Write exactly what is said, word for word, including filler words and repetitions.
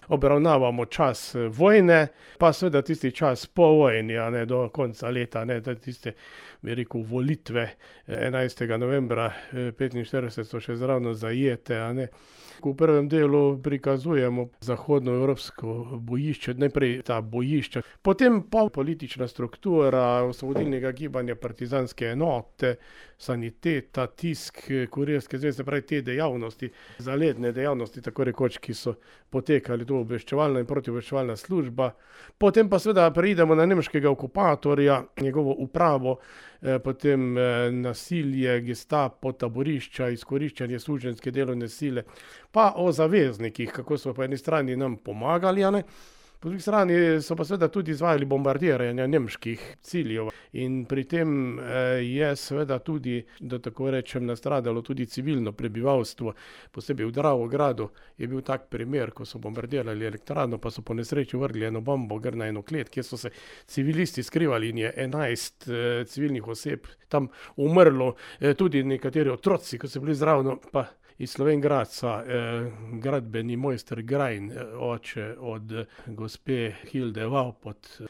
obravnavamo čas vojne, pa seveda tisti čas po vojni, a ne, do konca leta, ne, da tiste, bi rekel, volitve enajstega novembra petinštirideset so še zravno zajete, a ne. V prvem delu prikazujemo zahodnoevropsko bojišče, najprej ta bojišča, potem pa politična struktura osvobodilnega gibanja, partizanske enote, saniteta, tisk, kurirske zveze, pravi te dejavnosti, zaledne dejavnosti, tako rekoč, ki so potekali tu obveščevalna in protiobveščevalna služba. Potem pa seveda preidemo na nemškega okupatorja, njegovo upravo, potem nasilje, gestapo, taborišča, izkoriščanje suženjske delovne sile, pa o zaveznikih, kako so po eni strani nam pomagali, a ne, po drugi strani so pa seveda tudi izvajali bombardiranje nemških ciljev in pri tem je seveda tudi, da tako rečem, nastradalo tudi civilno prebivalstvo, posebej v Dravogradu je bil tak primer, ko so bombardirali elektrarno, pa so po nesreči vrgli eno bombo gor na eno klet, kjer so se civilisti skrivali in je enajst civilnih oseb tam umrlo, tudi nekateri otroci, ko so bili zraven, pa iz Slovenj Gradca, eh, gradbeni mojster Grajn, oče od gospe Hilde Vavpot,